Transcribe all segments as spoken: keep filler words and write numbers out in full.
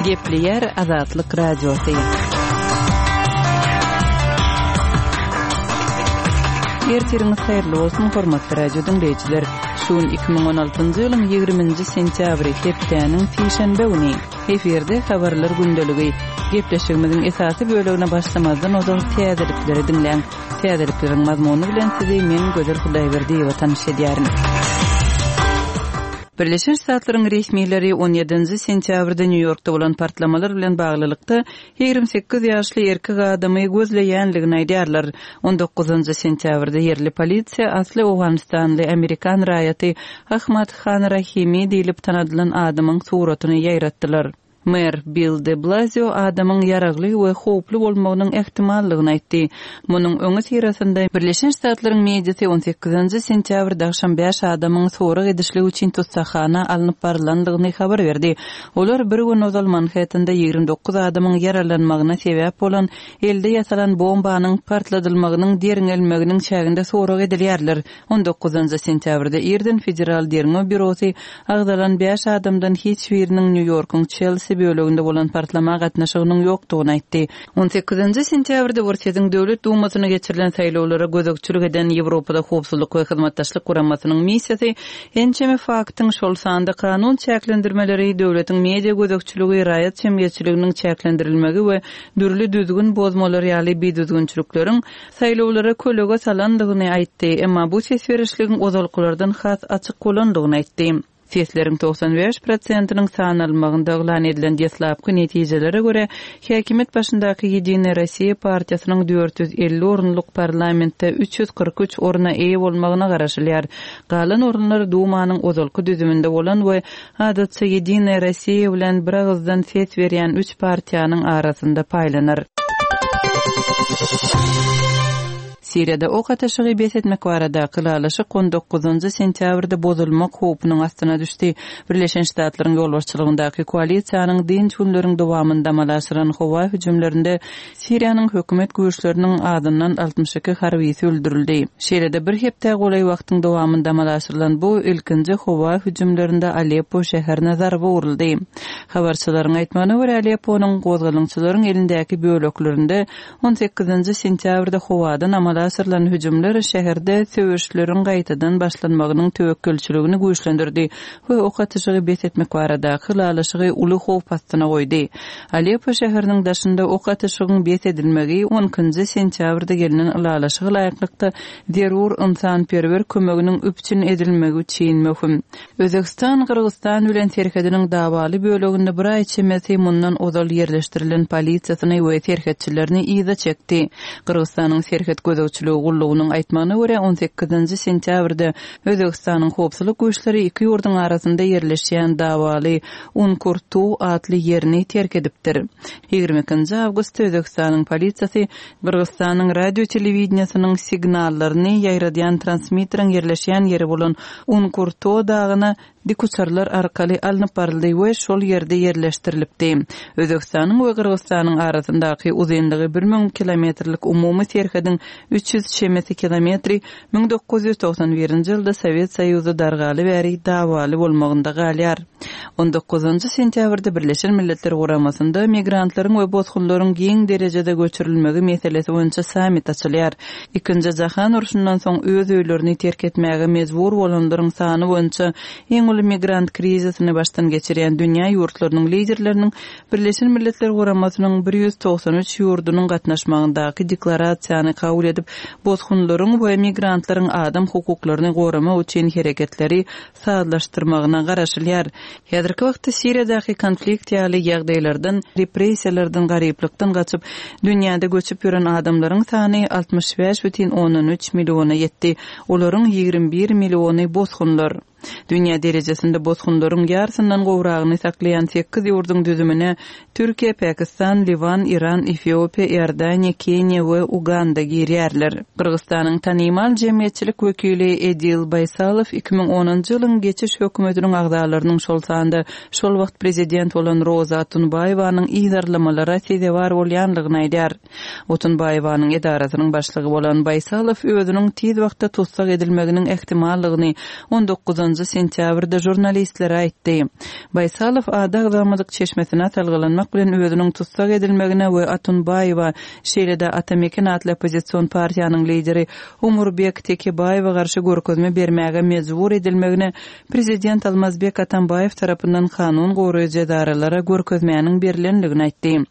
Gepleýär Azatlyk Radiosy. Ertiriňiz haýyrly bolsun, hormatly radio diňleýjiler. Şu gün iki müň on altynjy ýylyň ýigriminji sentýabry, hepdäniň sişenbe güni. Efirde habarlar gündeligi. Gepleşigimiziň esasy bölegine başlamazdan ozal täzelikleri diňläň. Täzelikleriň mazmuny bilen sizi men Gözel Hudaýberdiýewa tanyş edýärin. Birleşen Ştatlaryň resmileri on ýedinji sentýabrda Nýu-Ýorkda bolan partlamalar bilen baglylykda ýigrimi sekiz ýaşly erkek adamy gözleýänligini aýdýarlar. On dokuzynjy sentýabrda ýerli polisiýa asly Owganystanly amerikan raýaty Ahmad Han Rahimi diýlip tanadylan adamyň suratyny ýaýratdylar. Mer Bill de Blasio adamyň ýaragly we howply bolmagynyň ähtimallygyny aýtdy. Munuň öňi syrasynda Birleşen Ştatlaryň mediasy on sekizinji sentýabrda agşam bäş adamyň sorag edişligi üçin tussahana alnyp barylandygyny habar berdi. Olar bir gün ozal Manhattanda ýigrimi dokuz adamyň ýaralanmagyna sebäp bolan elde ýasalan bombanyň partladylmagynyň derňelmeginiň çäginde sorag edilýärler. On dokuzynjy sentýabrda irden Federal Derňew Bürosy agzalan bäş adamdan hiç biriniň Nýu-Ýorkuň Çelsi böleginde bolan partlama gatnaşygynyň ýokdugyny aýtdy. On sekizinji sentýabrda Orsýetiň Döwlet Dumasyna geçirilen saýlawlara gözegçilik eden Ýewropada Howpsuzlyk we Hyzmatdaşlyk Guramasynyň missiýasy ençeme faktyň, şol sanda kanun çäklendirmeleri, döwletiň media gözegçiligi, raýat jemgyýetçiliginiň çäklendirilmegi we dürli düzgün bozmalar ýaly bidüzgünçilikleriň saýlawlara kölege salandygyny aýtdy. Emma bu ses berişligiň ozalkylardan has açyk bolandygyny aýtdy. Sesleriň togsan bäş prosentiniň sanalmagynda yglan edilen deslapky netijelere görä, häkimiýet başyndaky Ýedinaya Rossiýa partiýasynyň dört ýüz elli orunlyk parlamentde üç ýüz kyrk üç orna eýe bolmagyna garaşylýar. Galan orunlar Dumanyň ozalky düzüminde bolan we adatça Ýedinaya Rossiýa bilen bir agyzdan ses berýän üç partiýanyň arasynda paýlanar. Siriýada ok atyşygy bes etmek baradaky ylalaşyk on dokuzynjy sentýabrda bozulmak howpunyň astyna düşdi. Birleşen Ştatlaryň ýolbaşçylygyndaky koalisiýanyň dynç günleriň dowamynda amala aşyran howa hüjümlerinde Siriýanyň hökümet güýçleriniň azyndan altmyş iki harbisi öldürildi. Şeýle-de bir hepde golaý wagtyň dowamynda amala aşyrylan bu ilkinji howa hüjümlerinde Aleppo şäherine zarba uruldy. Habarçylaryň aýtmagyna görä, Alepponyň gozgalaňçylaryň elindäki böleklerinde on sekizinji sentýabrda howadan amala aşyrylan hüjümler şäherde söweşleriň gaýtadan başlanmagynyň töwekgelçiligini güýçlendirdi we ok atyşygy bes etmek baradaky ylalaşygy uly howp astyna goýdy. Aleppo şäheriniň daşynda ok atyşygyň bes edilmegi on ikinji sentýabrda gelinen ylalaşyga laýyklykda zerur ynsanperwer kömeginiň üpjün edilmegi üçin möhüm. Özbegistan Gyrgyzstan bilen serhediniň dawaly böleginde bir aý çemesi mundan ozal ýerleşdirilen polisiýasyny we serhetçilerini yza çekdi. Gyrgyzstanyň serhet gözegçiligi gullugynyň aýtmagyna görä on sekizinji sentýabrda Özbegistanyň howpsuzlyk güýçleri iki ýurduň arasynda ýerleşýän dawaly Unkurtu atly ýerini terk edipdir. Ýigrimi ikinji awgustda Özbegistanyň polisiýasy Gyrgyzstanyň radio telewideniýasynyň signallaryny ýaýradýan transmitteriň ýerleşýän ýeri bolan Unkurtu dagyna dikuçarlar arkaly alnyp baryldy we şol ýerde ýerleşdirilipdi. Özbegistanyň we Gyrgyzstanyň arasyndaky uzynlygy bir müň kilometrlik umumy serhediň üç ýüz çemesi kilometri müň dokuz ýüz togsan birinji ýylda Sowet Soýuzy dargaly bäri dawaly bolmagynda galýar. On dokuzynjy sentýabrda Birleşen Milletler Guramasynda migrantlaryň we bosgunlaryň giň derejede göçürilmegi meselesi boýunça sammit açylýar. Ikinji jahan urşundan soň öz öýlerini terk etmäge mejbur bolanlaryň sany boýunça iň uly migrant krizisini başdan geçirýän dünýä ýurtlarynyň liderleriniň Birleşen Milletler Guramasynyň bir ýüz togsan üç ýurdunyň gatnaşmagyndaky deklarasiýany kabul edip, bosgunlaryň we migrantlaryň adam hukuklaryny goramak üçin hereketleri sazlaşdyrmagyna garaşylýar. Häzirki wagtda Siriýadaky konflikt ýaly ýagdaýlardan, repressiýalardan, garyplykdan gaçyp, dünýäde göçüp ýören adamlaryň sany altmyş bäş bütin ondan üç milliona ýetdi. Olaryň ýigrimi bir milliony bosgunlar. Dünýä derejesinde bosgunlaryň ýarysyndan gowragyny saklaýan sekiz ýurduň düzümine Türkiýe, Pakistan, Liwan, Iran, Efiopiýa, Iordaniýa, Keniýa we Uganda girýärler. Gyrgyzstanyň tanymal jemgyýetçilik wekili Edil Baýsalow iki müň onunjy ýylyň geçiş hökümetiniň agzalarynyň şol sanda şol wagt prezident bolan Roza Otunbaýewanyň yzarlamalara sezewar bolýanlygyny aýdar. Otunbaýewanyň edarasynyň başlygy bolan Baýsalow özüniň tiz wagtda tussag edilmeginiň ähtimallygyny on dokuzunjy dokuzynjy sentýabrda žurnalistlere aýtdy. Baýsalow ady agzalmadyk çeşmesine salgylanmak bilen özüniň tussag edilmegine we Otunbaýewa, şeýle-de Ata-Meken atly oppozision partiýanyň lideri Omurbek Tekebaýewe garşy görkezme bermäge mejbur edilmegine prezident Almazbek Atambaýew tarapyndan kanun goraýjy edaralara görkezmäniň berlendigini aýtdy.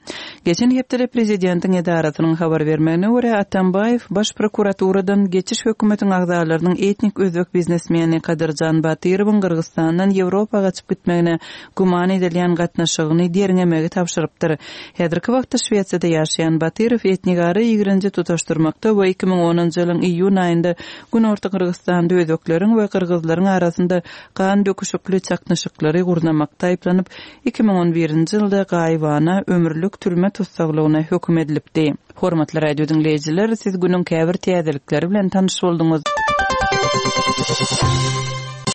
Geçen hepdede prezidentiň edarasynyň habar bermegine görä, Atambaýew Baş prokuraturadan geçiş hökümetiň agzalarynyň etnik özbek biznesmeni Kadyrjan Batyrowyň Gyrgyzystandan Ýewropa gaçyp gitmegine güman edilýän gatnaşygyny derňemegi tabşyrypdyr. Häzirki wagtda Şwesiýada ýaşaýan Batyrow etnigara ýigrenji tutaşdyrmakda we iki müň onunjy ýylyň iýun aýynda Günorta Gyrgyzystanda özbekleriň we gyrgyzlaryň arasynda gan döküşikli çaknyşyklary gurnamakda aýyplanyp, iki müň on birinji ýylda gaýybana ömürlik türme tussaglygyna höküm edilipdi. Hormatly radio diňleýjiler, siz günüň käbir täzelikleri bilen tanyş bolduňyz.